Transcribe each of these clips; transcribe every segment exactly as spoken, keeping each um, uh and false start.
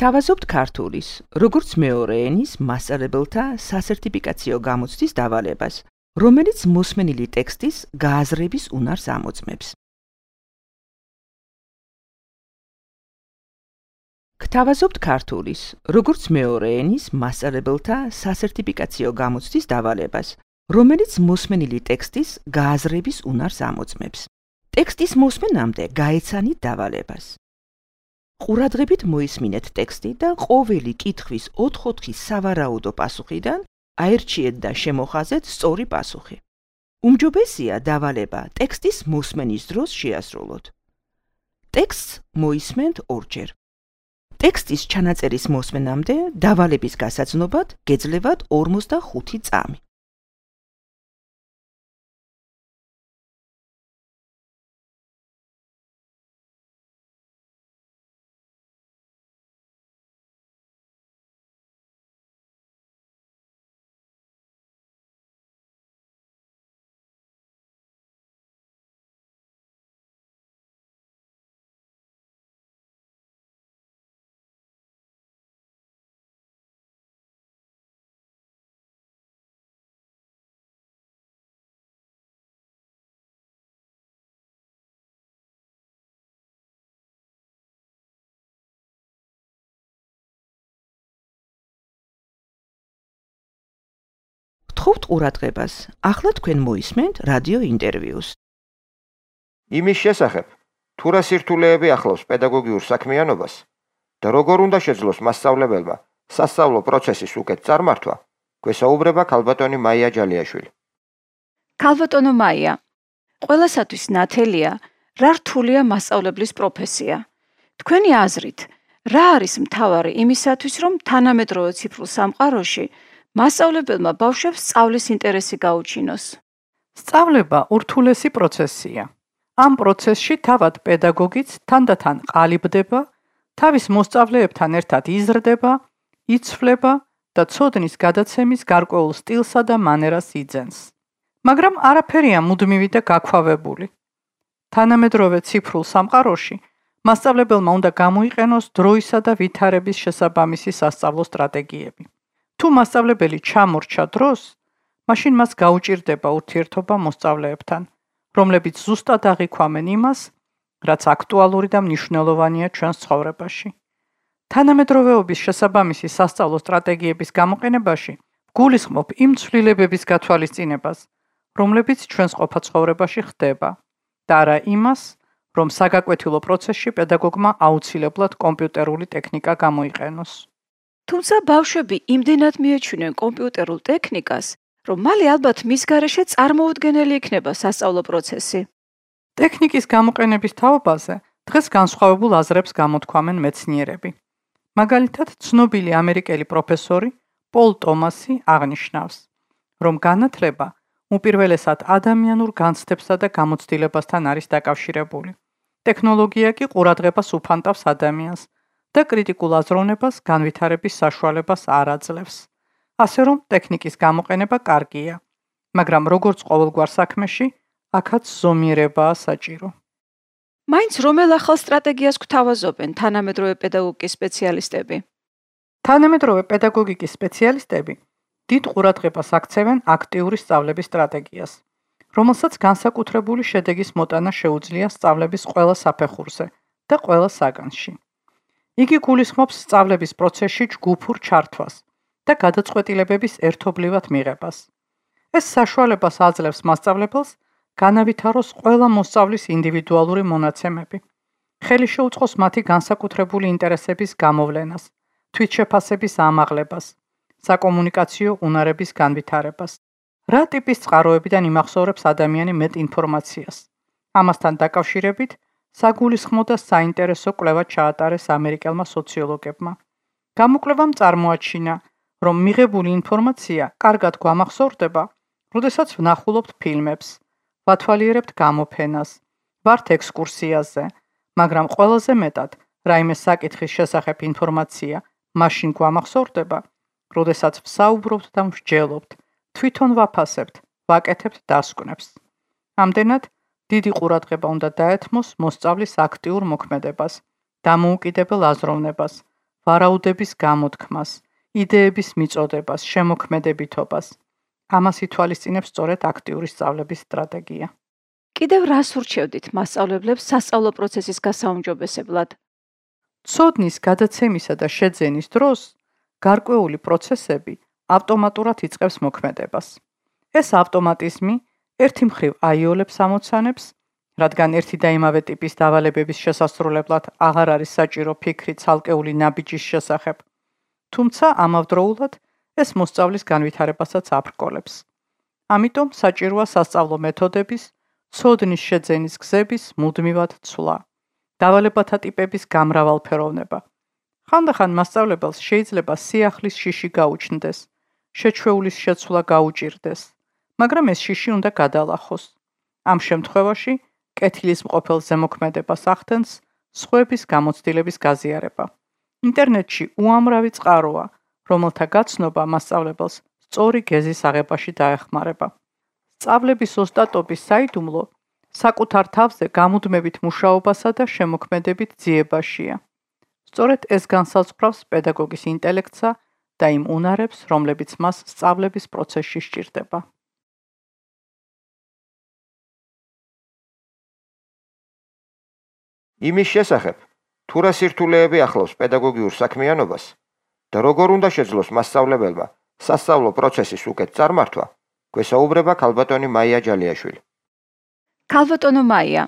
გთავაზობთ ქართულის, როგორც მეორე ენის მასწავლებელთა სასერტიფიკაციო გამოცდის დავალებას, რომელიც მოსმენილი ტექსტის გააზრების უნარს ამოწმებს. გთავაზობთ ქართულის, როგორც მეორე ენის მასწავლებელთა სასერტიფიკაციო გამოცდის დავალებას, რომელიც მოსმენილი ტექსტის გააზრების უნარს ამოწმებს. ტექსტის მოსმენამდე გაეცანით დავალებას. ყურადღებით მოისმინეთ ტექსტი და ყოველი კითხვის ოთხ-ოთხი სავარაუდო პასუხიდან აერჩიეთ და შემოხაზეთ სწორი პასუხი. უმჯობესია დავალება ტექსტის მოსმენის დროს შეასრულოთ. ტექსტს მოისმენთ ორჯერ. ტექსტის ჩანაწერის მოსმენამდე დავალების გასაცნობად გეძლევათ ორმოცდახუთი წამი. გთხოვთ ყურადღებას, ახლა თქვენ მოისმენთ რადიო ინტერვიუს. იმის შესახებ, თუ რა სირთულეები ახლავს პედაგოგიურ საქმიანობას და როგორ უნდა შეძლოს მასწავლებელმა სასწავლო პროცესის უკეთ წარმართვა, გვესაუბრება ქალბატონი მაია ჯალიაშვილი. ქალბატონო მაია, ყველასათვის ნათელია, რა რთულია მასწავლებლის პროფესია. თქვენი აზრით, რა არის მთავარი იმისათვის, რომ თანამედროვე ციფრულ სამყაროში მასწავლებელმა ბავშვებს სწავლის ინტერესი გაუჩინოს? სწავლება ურთულესი პროცესია. ამ პროცესში თავად პედაგოგიც თანდათან ყალიბდება, თავის მოსწავლეებთან ერთად იზრდება, იცვლება და ცოდნის გადაცემის გარკვეულ სტილსა და მანერას იძენს. მაგრამ არაფერია მუდმივი და გაქვავებული. თანამედროვე ციფრულ სამყაროში მასწავლებელმა უნდა გამოიყენოს დროისა და ვითარების შესაბამისი სასწავლო სტრატეგიები. თუ მასწავლებელი ჩამორჩა დროს, მაშინ მას გაუჭირდება ურთიერთობა მოსწავლეებთან, რომლებიც ზუსტად აღიქვამენ იმას, რაც აქტუალური და მნიშვნელოვანია ჩვენს ცხოვრებაში. თანამედროვეობის შესაბამისი სასწავლო სტრატეგიების გამოყენებაში გულისხმობ იმ ცვლილებების გათვალისწინებას, რომლებიც ჩვენს ყოფა ცხოვრებაში ხდება, და არა იმას, რომ საგაკვეთილო პროცესში პედაგოგმა აუცილებლად კომპიუტერული ტექნიკა გამოიყენოს. თუმცა ბავშვები იმდენად მიეჩვენენ კომპიუტერულ ტექნიკას, რომ მალე ალბათ მის გარეშე წარმოუდგენელი იქნება სასწავლო პროცესი. ტექნიკის გამოყენების თაობაზე დღეს განსხვავებულ აზრებს გამოთქვამენ მეცნიერები. მაგალითად, ცნობილი ამერიკელი პროფესორი პოლ ტომასი აღნიშნავს, რომ განათლება უპირველესად ადამიანურ განცდებსა და გამოცდილებასთან არის დაკავშირებული. ტექნოლოგია კი ყურადღებას უფანტავს ადამიანს და კრიტიკულ აზროვნებას განვითარების საშუალებას არ აძლევს. ასე რომ ტექნიკის გამოყენება კარგია, მაგრამ როგორც ყოველგვარ საქმეში, აქაც ზომიერებაა საჭირო. მაინც რომელ ახალ სტრატეგიას გვთავაზობენ თანამედროვე პედაგოგიკის სპეციალისტები? თანამედროვე პედაგოგიკის სპეციალისტები დიდ ყურადღებას აქცევენ აქტიური სწავლების სტრატეგიას, რომელსაც განსაკუთრებული შედეგის მოტანა შეუძლია სწავლების ყველა საფეხურზე და ყველა საგანში. იგი გულისხმობს სწავლების პროცესში ჯგუფურ ჩართვას და გადაწყვეტილებების ერთობლივად მიღებას. ეს საშუალებას აძლევს მასწავლებელს განავითაროს ყველა მოსწავლის ინდივიდუალური მონაცემები. ხელი შეუწყოს მათი განსაკუთრებული ინტერესების გამოვლენას, თვითშეფასების ამაღლებას, საკომუნიკაციო უნარების განვითარებას. რა ტიპის წყაროებიდან იმახსოვრებს ადამიანი მეტ ინფორმაციას? ამასთან დაკავშირებით საგულისხმო და საინტერესო კვლევა ჩაატარეს ამერიკელმა სოციოლოგებმა. გამოკვლევამ წარმოაჩინა, რომ მიღებული ინფორმაცია კარგად გვამახსოვრდება, როდესაც ვნახულობთ ფილმებს, ვათვალიერებთ გამოფენას, ვართ ექსკურსიაზე, მაგრამ ყველაზე მეტად რაიმე საკითხის შესახებ ინფორმაცია მაშინ გვამახსოვრდება, როდესაც ვსაუბრობთ და ვსჯელობთ, თვითონ ვაფასებთ, ვაკეთებთ დასკვნებს. ამდენად დიდი ყურადღება უნდა დაეთმოს მოსწავლის აქტიურ მოქმედებას, დამოუკიდებელ აზროვნებას, ვარაუდების გამოთქმას, იდეების მიწოდებას, შემოქმედებითობას. ამას ითვალისწინებს სწორედ აქტიური სწავლების სტრატეგია. კიდევ რას ურჩევდით მასწავლებლებს სასწავლო პროცესის გასაუმჯობესებლად? ცოდნის გადაცემისა და შეძენის დროს გარკვეული პროცესები ავტომატურად იწყებს მოქმედებას. ეს ავტომატიზმი ერთი მხრივ აიოლებს ამოცანებს, რადგან ერთი და იმავე ტიპის დავალებების შესასრულებლად აღარ არის საჭირო ფიქრი ცალკეული ნაბიჯის შესახებ, თუმცა ამავდროულად ეს მოსწავლის განვითარებასაც აბრკოლებს. ამიტომ საჭიროა სასწავლო მეთოდების, ცოდნის შეძენის გზების მუდმივად ცვლა, დავალებათა ტიპების გამრავალფეროვნება. ხანდახან მასწავლებელს შეიძლება სიახლის შიში გაუჩნდეს, შეჩვეულის შეცვლა გაუჭირდეს, მაგრამ ეს შიში უნდა გადალახოს. ამ შემთხვევაში კეთილის მყოფელ ზემოქმედებას ახდენს სხვების გამოცდილების გაზიარება. ინტერნეტში უამრავი წყაროა, რომელთა გაცნობა მასწავლებელს სწორი გეზის აღებაში დაეხმარება. სწავლების ოსტატობის საიდუმლო საკუთარ თავზე გამუდმებით მუშაობასა და შემოქმედებით ძიებაშია. სწორედ ეს განსაზღვრავს პედაგოგის ინტელექტსა და იმ უნარებს, რომლებიც მას სწავლების პროცესში სჭირდება. იმის შესახებ, თუ რა სირთულეები ახლავს პედაგოგიურ საქმიანობას და როგორ უნდა შეძლოს მასწავლებელმა სასწავლო პროცესის უკეთ წარმართვა, გვესაუბრება ქალბატონი მაია ჯალიაშვილი. ქალბატონო მაია,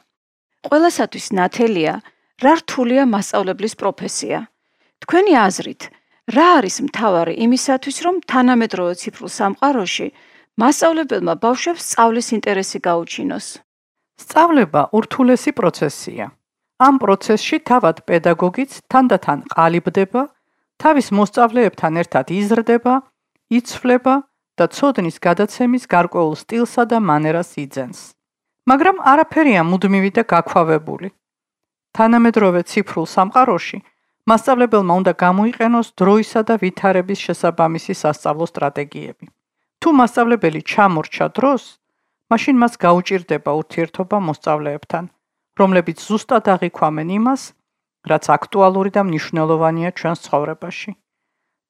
ყველასათვის ნათელია, რა რთულია მასწავლებლის პროფესია. თქვენი აზრით, რა არის მთავარი იმისათვის, რომ თანამედროვე ციფრულ სამყაროში მასწავლებელმა ბავშვებს სწავლის ინტერესი გაუჩინოს? სწავლება ურთულესი პროცესია. ამ პროცესში თავად პედაგოგიც თანდათან ყალიბდება, თავის მოსწავლეებთან ერთად იზრდება, იცვლება და ცოდნის გადაცემის გარკვეულ სტილსა და მანერას იძენს. მაგრამ არაფერია მუდმივი და გაქვავებული. თანამედროვე ციფრულ სამყაროში მასწავლებელმა უნდა გამოიყენოს დროისა და ვითარების შესაბამისი სასწავლო სტრატეგიები. თუ მასწავლებელი ჩამორჩა დროს, მაშინ მას გაუჭირდება ურთიერთობა მოსწავლეებთან, რომლებიც ზუსტად აღიქვამენ იმას, რაც აქტუალური და მნიშვნელოვანია ჩვენს ცხოვრებაში.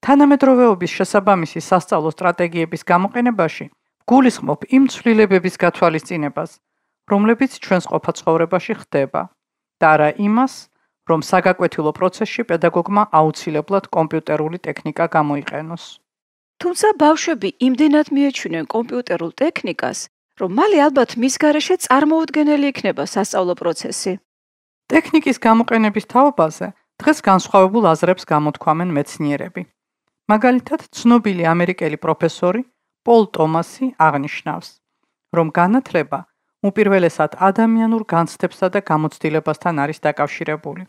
თანამედროვეობის შესაბამისი სასწავლო სტრატეგიების გამოყენებაში გულისხმობ იმ ცვლილებების გათვალისწინებას, რომლებიც ჩვენს ყოფა ცხოვრებაში ხდება, და არა იმას, რომ საგაკვეთილო პროცესში პედაგოგმა აუცილებლად კომპიუტერული ტექნიკა გამოიყენოს. თუმცა ბავშვები იმდენად მიეჩვენენ კომპიუტერულ ტექნიკას, რომ მალე ალბათ მის გარეშე წარმოუდგენელი იქნება სასწავლო პროცესი. ტექნიკის გამოყენების თაობაზე დღეს განსხვავებულ აზრებს გამოთქვამენ მეცნიერები. მაგალითად, ცნობილი ამერიკელი პროფესორი პოლ ტომასი აღნიშნავს, რომ განათლება უპირველესად ადამიანურ განცდებსა და გამოცდილებასთან არის დაკავშირებული.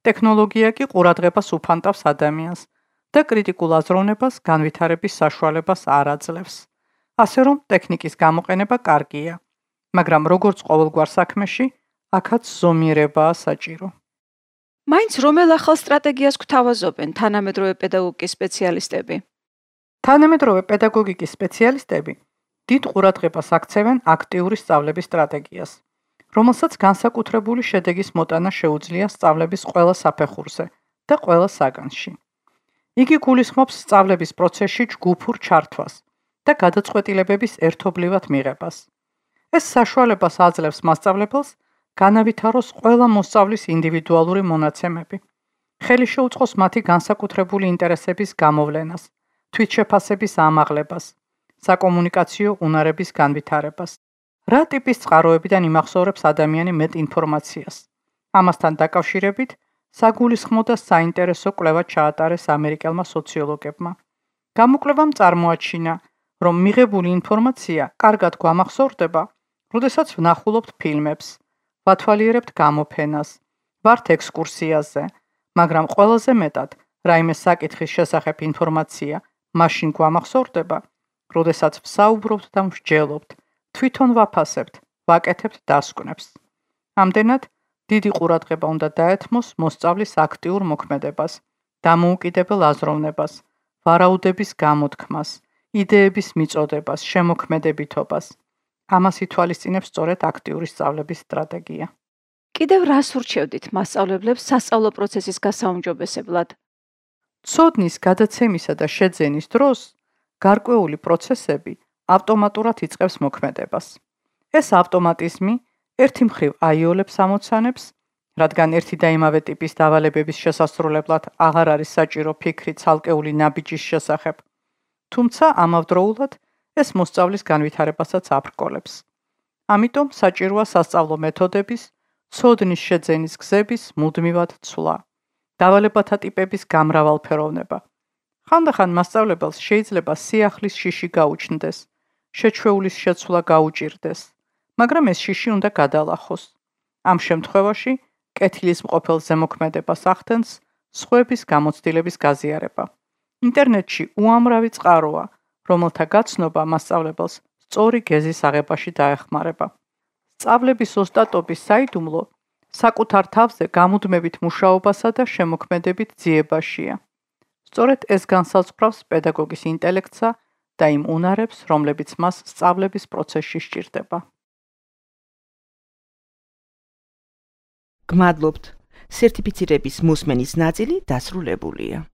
ტექნოლოგია კი ყურადღებას უფანტავს ადამიანს და კრიტიკულ აზროვნებას განვითარების საშუალებას არ აძლევს. ასე რომ ტექნიკის გამოყენება კარგია, მაგრამ როგორც ყოველგვარ საქმეში, აქაც ზომიერებაა საჭირო. მაინც რომელ ახალ სტრატეგიას გვთავაზობენ თანამედროვე პედაგოგიკის სპეციალისტები? თანამედროვე პედაგოგიკის სპეციალისტები დიდ ყურადღებას აქცევენ აქტიური სწავლების სტრატეგიას, რომელსაც განსაკუთრებული შედეგის მოტანა შეუძლია სწავლების ყველა საფეხურზე და ყველა საგანში. იგი გულისხმობს სწავლების პროცესში ჯგუფურ ჩართვას და გადაწყვეტილებების ერთობლივად მიღებას. ეს საშუალებას აძლევს მასწავლებელს განავითაროს ყველა მოსწავლის ინდივიდუალური მონაცემები. ხელი შეუწყოს მათი განსაკუთრებული ინტერესების გამოვლენას, თვითშეფასების ამაღლებას, საკომუნიკაციო უნარების განვითარებას. რა ტიპის წყაროებიდან იმახსოვრებს ადამიანი მეტ ინფორმაციას? ამასთან დაკავშირებით საგულისხმო და საინტერესო კვლევა ჩაატარეს ამერიკელმა სოციოლოგებმა. გამოკვლევამ წარმოაჩინა, რომ მიღებული ინფორმაცია კარგად გვამახსოვრდება, როდესაც ვნახულობთ ფილმებს, ვათვალიერებთ გამოფენას, ვართ ექსკურსიაზე, მაგრამ ყველაზე მეტად რაიმე საკითხის შესახებ ინფორმაცია მაშინ გვამახსოვრდება, როდესაც ვსაუბრობთ და ვსჯელობთ, თვითონ ვაფასებთ, ვაკეთებთ დასკვნებს. ამდენად დიდი ყურადღება უნდა დაეთმოს მოსწავლის აქტიურ მოქმედებას, დამოუკიდებელ აზროვნებას, ვარაუდების გამოთქმას, იდეების მიწოდებას, შემოქმედებითობას. ამას ითვალისწინებს სწორედ აქტიური სწავლების სტრატეგია. კიდევ რას ურჩევდით მასწავლებლებს სასწავლო პროცესის გასაუმჯობესებლად? ცოდნის გადაცემისა და შეძენის დროს გარკვეული პროცესები ავტომატურად იწყებს მოქმედებას. ეს ავტომატიზმი ერთი მხრივ აიოლებს ამოცანებს, რადგან ერთი და იმავე ტიპის დავალებების შესასრულებლად აღარ არის საჭირო ფიქრი ცალკეული ნაბიჯის შესახებ, თუმცა ამავდროულად ეს მოსწავლის განვითარებასაც აბრკოლებს. ამიტომ საჭიროა სასწავლო მეთოდების, ცოდნის შეძენის გზების მუდმივად ცვლა, დავალებათა ტიპების გამრავალფეროვნება. ხანდახან მასწავლებელს შეიძლება სიახლის შიში გაუჩნდეს, შეჩვეულის შეცვლა გაუჭირდეს, მაგრამ ეს შიში უნდა გადალახოს. ამ შემთხვევაში კეთილის მყოფელ ზემოქმედებას ახდენს სხვების გამოცდილების გაზიარება. ინტერნეტში უამრავი წყაროა, რომელთა გაცნობა მასწავლებელს სწორი გეზის აღებაში დაეხმარება. სწავლების ოსტატობის საიდუმლო საკუთარ თავზე გამუდმებით მუშაობასა და შემოქმედებით ძიებაშია. სწორედ ეს განსაზღვრავს პედაგოგის ინტელექტსა და იმ უნარებს, რომლებიც მას სწავლების პროცესში სჭირდება. გმადლობთ. სერტიფიცირების მოსმენის ნაწილი დასრულებულია.